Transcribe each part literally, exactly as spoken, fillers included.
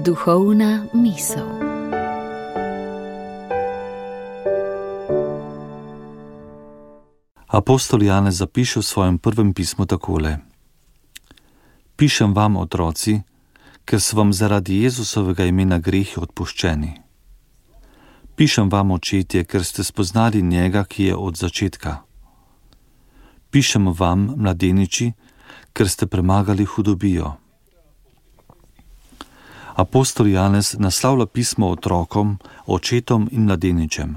Duhovna misel. Apostol Janez zapiše v svojem prvem pismu takole: Pišem vam, otroci, ker so vam zaradi Jezusovega imena grehi odpuščeni. Pišem vam, očetje, ker ste spoznali njega, ki je od začetka. Pišem vam, mladeniči, ker ste premagali hudobijo. Apostol Janez naslavlja pismo otrokom, očetom in mladeničem.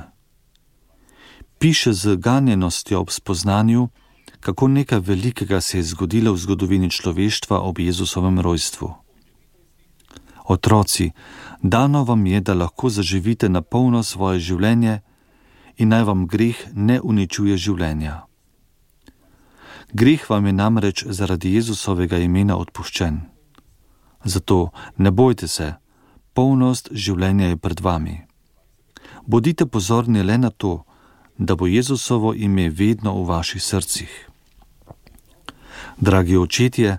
Piše z ganjenostjo ob spoznanju, kako nekaj velikega se je zgodilo v zgodovini človeštva ob Jezusovem rojstvu. Otroci, dano vam je, da lahko zaživite na polno svoje življenje in naj vam greh ne uničuje življenja. Greh vam je namreč zaradi Jezusovega imena odpuščen. Zato ne bojte se, polnost življenja je pred vami. Bodite pozorni le na to, da bo Jezusovo ime vedno v vaših srcih. Dragi očetje,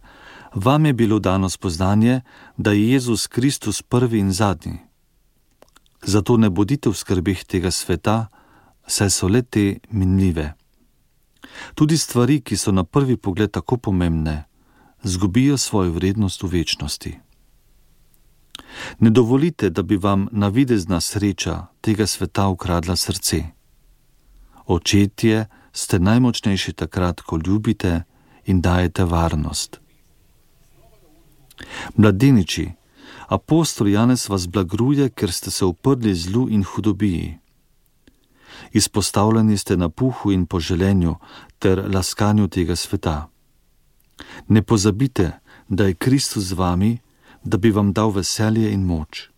vam je bilo dano spoznanje, da je Jezus Kristus prvi in zadnji. Zato ne bodite v skrbeh tega sveta, saj so le te minljive. Tudi stvari, ki so na prvi pogled tako pomembne, zgubijo svojo vrednost v večnosti. Ne dovolite, da bi vam navidezna sreča tega sveta ukradla srce. Očetje ste najmočnejši takrat, ko ljubite in dajete varnost. Mladeniči, apostol Janez vas blagruje, ker ste se uprli zlu in hudobiji. Izpostavljeni ste napuhu in poželenju ter laskanju tega sveta. Ne pozabite, da je Kristus z vami, da bi vam dal veselje in moč.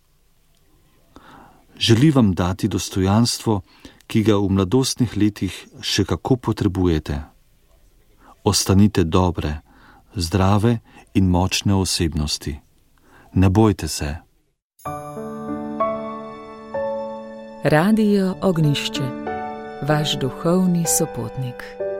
Želi vam dati dostojanstvo, ki ga v mladostnih letih še kako potrebujete. Ostanite dobre, zdrave in močne osebnosti. Ne bojte se. Radio Ognjišče, vaš duhovni sopotnik.